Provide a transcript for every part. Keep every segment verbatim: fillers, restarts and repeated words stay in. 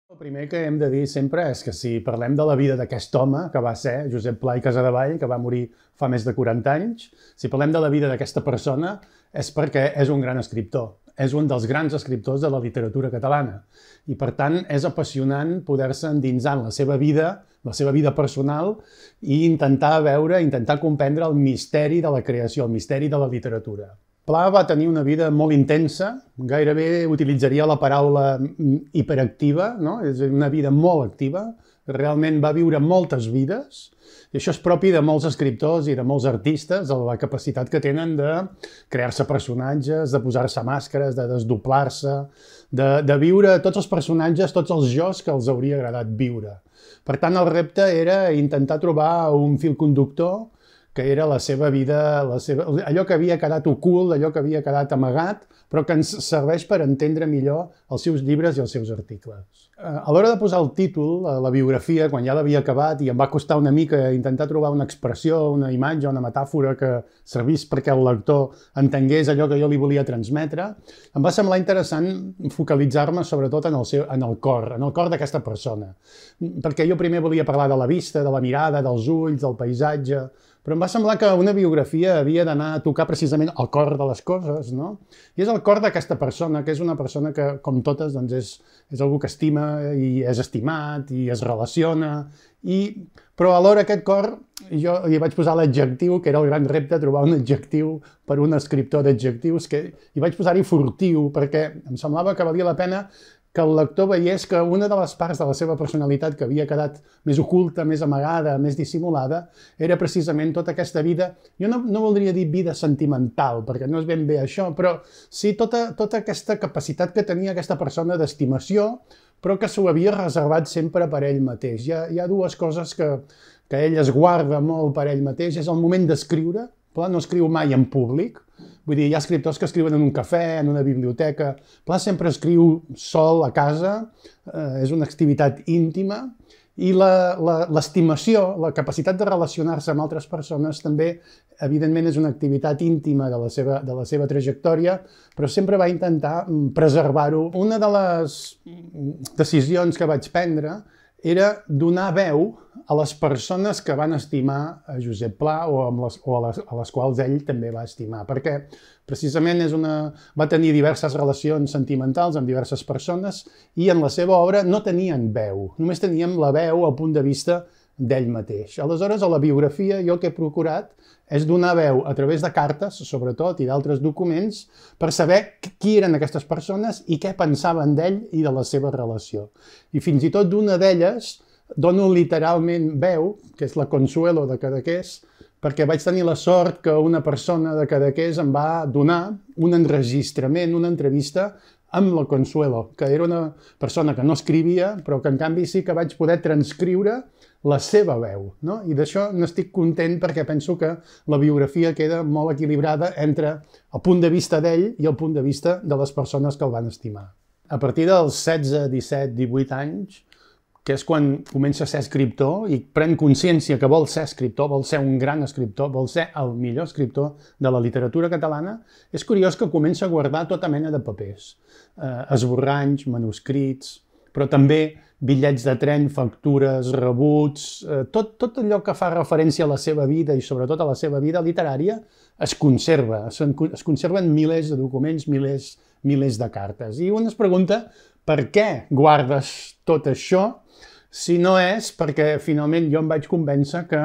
El primer que hem de dir sempre és que si parlem de la vida d'aquest home, que va ser Josep Pla i Casadevall, que va morir fa més de quaranta anys, si parlem de la vida d'aquesta persona és perquè és un gran escriptor. És un dels grans escriptors de la literatura catalana. I, per tant, és apassionant poder-se endinsar en la seva vida, la seva vida personal, i intentar veure, intentar comprendre el misteri de la creació, el misteri de la literatura. Pla va tenir una vida molt intensa, gairebé utilitzaria la paraula hiperactiva, no? És una vida molt activa, realment va viure moltes vides, i això és propi de molts escriptors i de molts artistes, la capacitat que tenen de crear-se personatges, de posar-se màscares, de desdoblar-se, de, de viure tots els personatges, tots els jos que els hauria agradat viure. Per tant, el repte era intentar trobar un fil conductor que era la seva vida, la seva, allò que havia quedat ocult, allò que havia quedat amagat, però que ens serveix per entendre millor els seus llibres i els seus articles. A l'hora de posar el títol, la biografia, quan ja l'havia acabat, i em va costar una mica intentar trobar una expressió, una imatge, una metàfora que servís perquè el lector entengués allò que jo li volia transmetre, em va semblar interessant focalitzar-me sobretot en el, seu, en el cor, en el cor d'aquesta persona. Perquè jo primer volia parlar de la vista, de la mirada, dels ulls, del paisatge, però em va semblar que una biografia havia d'anar a tocar precisament el cor de les coses, no? I és el cor d'aquesta persona, que és una persona que, com totes, doncs és, és algú que estima i és estimat i es relaciona, i, però alhora aquest cor, jo hi vaig posar l'adjectiu, que era el gran repte, trobar un adjectiu per un escriptor d'adjectius, que hi vaig posar-hi furtiu, perquè em semblava que valia la pena que el lector veiés que una de les parts de la seva personalitat que havia quedat més oculta, més amagada, més dissimulada, era precisament tota aquesta vida, jo no, no voldria dir vida sentimental, perquè no és ben bé això, però sí tota, tota aquesta capacitat que tenia aquesta persona d'estimació, però que s'ho havia reservat sempre per ell mateix. Hi ha, hi ha dues coses que, que ell es guarda molt per ell mateix, és el moment d'escriure, Pla no escriu mai en públic, vull dir, hi ha escriptors que escriuen en un cafè, en una biblioteca. Pla sempre escriu sol a casa, eh, és una activitat íntima, i l'estimació, la, la capacitat de relacionar-se amb altres persones també, evidentment, és una activitat íntima de la seva, de la seva trajectòria, però sempre va intentar preservar-ho. Una de les decisions que vaig prendre era donar veu a les persones que van estimar a Josep Pla o, amb les, o a, les, a les quals ell també va estimar, perquè precisament és una, va tenir diverses relacions sentimentals amb diverses persones i en la seva obra no tenien veu, només teníem la veu al punt de vista d'ell mateix. Aleshores, a la biografia jo el que he procurat és donar veu a través de cartes, sobretot, i d'altres documents, per saber qui eren aquestes persones i què pensaven d'ell i de la seva relació. I fins i tot d'una d'elles dono literalment veu, que és la Consuelo de Cadaqués, perquè vaig tenir la sort que una persona de Cadaqués em va donar un enregistrament, una entrevista amb la Consuelo, que era una persona que no escrivia, però que en canvi sí que vaig poder transcriure la seva veu, no? I d'això n'estic content perquè penso que la biografia queda molt equilibrada entre el punt de vista d'ell i el punt de vista de les persones que el van estimar. A partir dels setze, disset, divuit anys, que és quan comença a ser escriptor i pren consciència que vol ser escriptor, vol ser un gran escriptor, vol ser el millor escriptor de la literatura catalana, és curiós que comença a guardar tota mena de papers, eh, esborranys, manuscrits, però també bitllets de tren, factures, rebuts, eh, tot, tot allò que fa referència a la seva vida i sobretot a la seva vida literària es conserva, es, es conserven milers de documents, milers, milers de cartes. I un es pregunta per què guardes tot això si no és perquè finalment jo em vaig convèncer que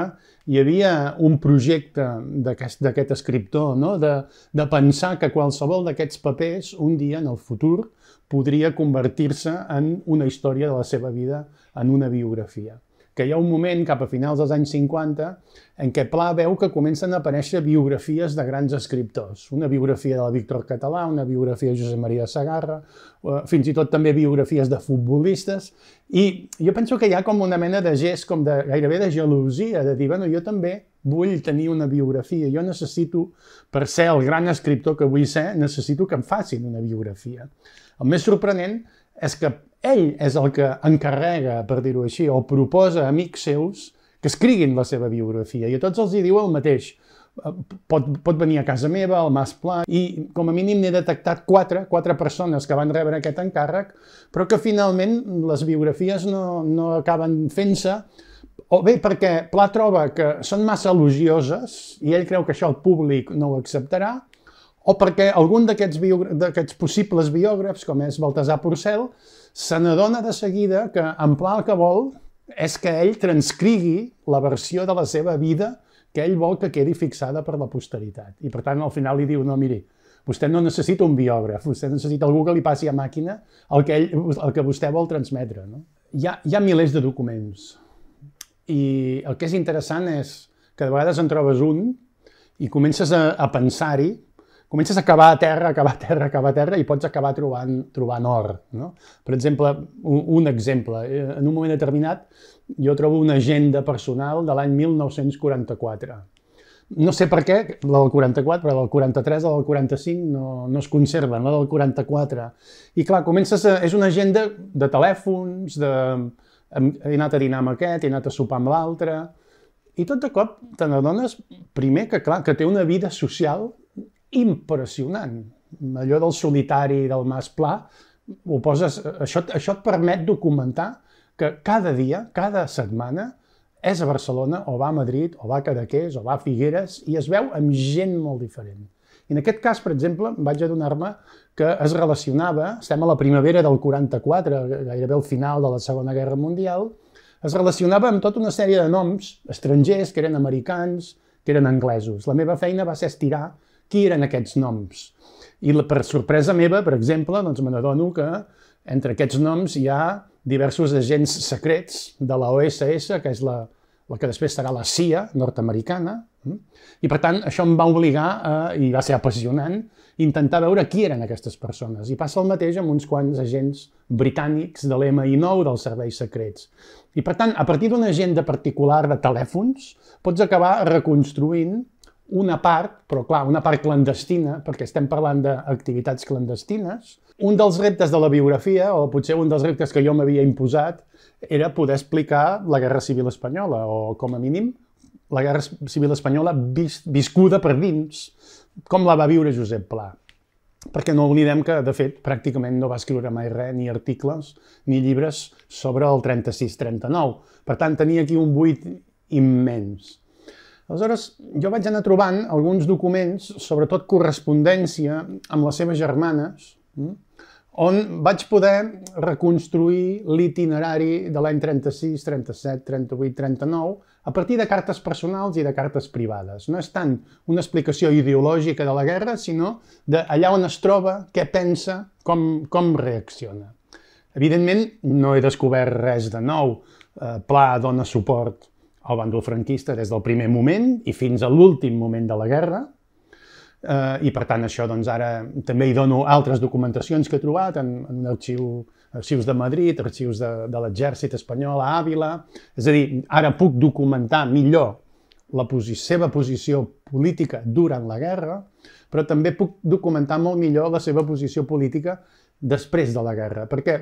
hi havia un projecte d'aquest escriptor, no? de, de pensar que qualsevol d'aquests papers un dia en el futur podria convertir-se en una història de la seva vida, en una biografia. Que hi ha un moment, cap a finals dels anys cinquanta, en què Pla veu que comencen a aparèixer biografies de grans escriptors. Una biografia de la Víctor Català, una biografia de Josep Maria Segarra, fins i tot també biografies de futbolistes. I jo penso que hi ha com una mena de gest, com de, gairebé de gelosia, de dir, bueno, jo també vull tenir una biografia. Jo necessito, per ser el gran escriptor que vull ser, necessito que em facin una biografia. El més sorprenent és que ell és el que encarrega, per dir-ho així, o proposa a amics seus que escriguin la seva biografia. I a tots els hi diu el mateix. pot, pot venir a casa meva, al Mas Pla, i com a mínim n'he detectat quatre, quatre persones que van rebre aquest encàrrec, però que finalment les biografies no, no acaben fent-se, o bé perquè Pla troba que són massa elogioses i ell creu que això el públic no ho acceptarà, o perquè algun d'aquests possibles biògrafs, com és Baltasar Porcel, se n'adona de seguida que en Pla el que vol és que ell transcrigui la versió de la seva vida que ell vol que quedi fixada per la posteritat. I per tant, al final li diu, no, miri, vostè no necessita un biògraf, vostè necessita algú que li passi a màquina el que, ell, el que vostè vol transmetre. No? Hi ha, hi ha milers de documents i el que és interessant és que de vegades en trobes un i comences a, a pensar-hi, comences a acabar a terra, acabar a terra, acabar a terra i pots acabar trobant, trobant or. No? Per exemple, un, un exemple, en un moment determinat jo trobo una agenda personal de l'any mil nou-cents quaranta-quatre. No sé per què, la del quaranta-quatre, però la del quaranta-tres o la del quaranta-cinc no, no es conserven, la del quaranta-quatre. I clar, comences a, és una agenda de telèfons, de, he anat a dinar amb aquest, he anat a sopar amb l'altre, i tot de cop te n'adones, primer, que clar, que té una vida social impressionant. Allò del solitari del Mas Pla, ho poses, això, això et permet documentar que cada dia, cada setmana, és a Barcelona, o va a Madrid, o va a Cadaqués, o va a Figueres, i es veu amb gent molt diferent. I en aquest cas, per exemple, vaig adonar-me que es relacionava, estem a la primavera del quaranta-quatre, gairebé al final de la Segona Guerra Mundial, es relacionava amb tota una sèrie de noms estrangers, que eren americans, que eren anglesos. La meva feina va ser estirar qui eren aquests noms. I per sorpresa meva, per exemple, doncs me n'adono que entre aquests noms hi ha diversos agents secrets de la O S S, que és la, la que després serà la C I A nord-americana, i per tant això em va obligar, a, i va ser apassionant, intentar veure qui eren aquestes persones. I passa el mateix amb uns quants agents britànics de l'M I nou dels serveis secrets. I per tant, a partir d'una agenda particular de telèfons, pots acabar reconstruint una part, però clar, una part clandestina, perquè estem parlant d'activitats clandestines. Un dels reptes de la biografia, o potser un dels reptes que jo m'havia imposat, era poder explicar la Guerra Civil Espanyola, o com a mínim la Guerra Civil Espanyola vis viscuda per dins, com la va viure Josep Pla. Perquè no oblidem que, de fet, pràcticament no va escriure mai res, ni articles, ni llibres sobre el trenta-sis trenta-nou. Per tant, tenia aquí un buit immens. Aleshores, jo vaig anar trobant alguns documents, sobretot correspondència amb les seves germanes, on vaig poder reconstruir l'itinerari de l'any trenta-sis, trenta-set, trenta-vuit, trenta-nou a partir de cartes personals i de cartes privades. No és tant una explicació ideològica de la guerra, sinó d'allà on es troba, què pensa, com, com reacciona. Evidentment, no he descobert res de nou. Pla dona suport al bàndol franquista des del primer moment i fins a l'últim moment de la guerra. Eh, I per tant això doncs ara també hi dono altres documentacions que he trobat en, en arxiu, arxius de Madrid, arxius de, de l'exèrcit espanyol a Àvila. És a dir, ara puc documentar millor la posi seva posició política durant la guerra, però també puc documentar molt millor la seva posició política després de la guerra, perquè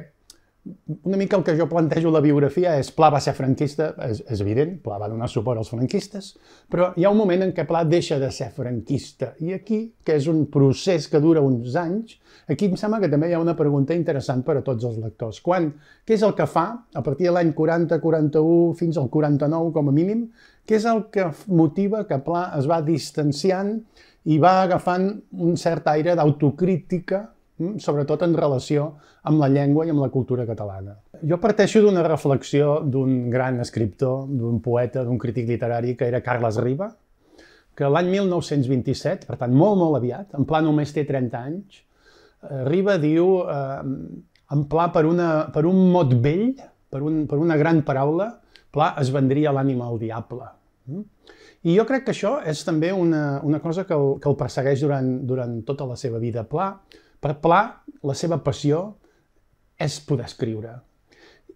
una mica el que jo plantejo a la biografia és Pla va ser franquista, és, és evident, Pla va donar suport als franquistes, però hi ha un moment en què Pla deixa de ser franquista. I aquí, que és un procés que dura uns anys, aquí em sembla que també hi ha una pregunta interessant per a tots els lectors. Quan, què és el que fa, a partir de l'any quaranta, quaranta-u fins al quaranta-nou com a mínim, què és el que motiva que Pla es va distanciant i va agafant un cert aire d'autocrítica, sobretot en relació amb la llengua i amb la cultura catalana. Jo parteixo d'una reflexió d'un gran escriptor, d'un poeta, d'un crític literari, que era Carles Riba, que l'any mil nou-cents vint-i-set, per tant molt, molt aviat, en Pla només té trenta anys, Riba diu, eh, en Pla per, una, per un mot vell, per, un, per una gran paraula, Pla es vendria l'ànima al diable. I jo crec que això és també una, una cosa que el, que el persegueix durant, durant tota la seva vida. Pla, per Pla, la seva passió és poder escriure.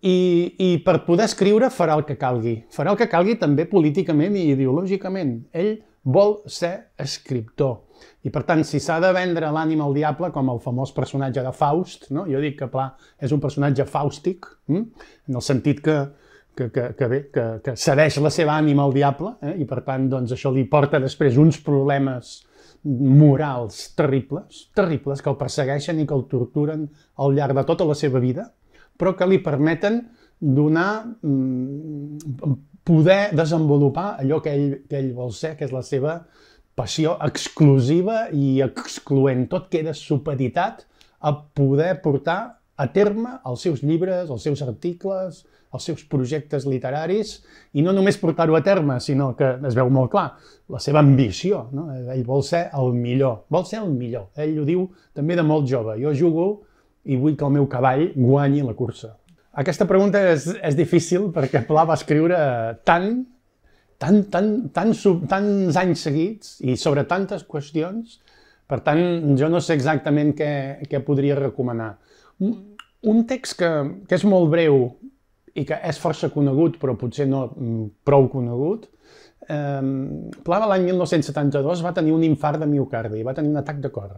I, I per poder escriure farà el que calgui. Farà el que calgui també políticament i ideològicament. Ell vol ser escriptor. I per tant, si s'ha de vendre l'ànima al diable, com el famós personatge de Faust, no? Jo dic que Pla és un personatge fàustic, hm? En el sentit que, que, que, que, bé, que, que cedeix la seva ànima al diable, eh? I per tant doncs, això li porta després uns problemes morals terribles, terribles, que el persegueixen i que el torturen al llarg de tota la seva vida, però que li permeten donar, poder desenvolupar allò que ell, que ell vol ser, que és la seva passió exclusiva i excloent. Tot queda supeditat a poder portar a terme els seus llibres, els seus articles, els seus projectes literaris, i no només portar-ho a terme, sinó que es veu molt clar, la seva ambició, no? Ell vol ser el millor, vol ser el millor. Ell ho diu també de molt jove. Jo jugo i vull que el meu cavall guanyi la cursa. Aquesta pregunta és, és difícil perquè Pla va escriure tant, tant, tant, tant, tants anys seguits i sobre tantes qüestions, per tant, jo no sé exactament què, què podria recomanar. Un text que, que és molt breu i que és força conegut, però potser no prou conegut, eh, Pla l'any mil nou-cents setanta-dos va tenir un infart de miocardi, va tenir un atac de cor.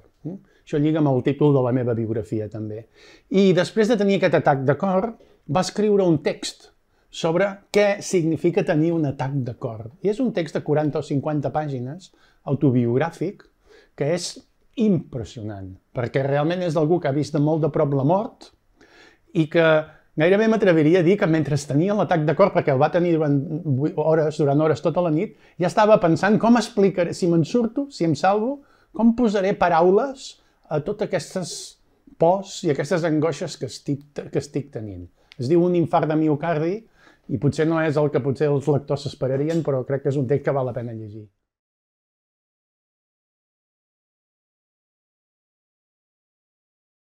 Això lliga amb el títol de la meva biografia, també. I després de tenir aquest atac de cor, va escriure un text sobre què significa tenir un atac de cor. I és un text de quaranta o cinquanta pàgines, autobiogràfic, que és impressionant, perquè realment és d'algú que ha vist de molt de prop la mort i que gairebé m'atreviria a dir que mentre tenia l'atac de cor, perquè el va tenir durant hores, durant hores tota la nit, ja estava pensant com explicaré, si me'n surto, si em salvo, com posaré paraules a totes aquestes pors i aquestes angoixes que estic, que estic tenint. Es diu Un infart de miocardi i potser no és el que potser els lectors s'esperarien, però crec que és un text que val la pena llegir.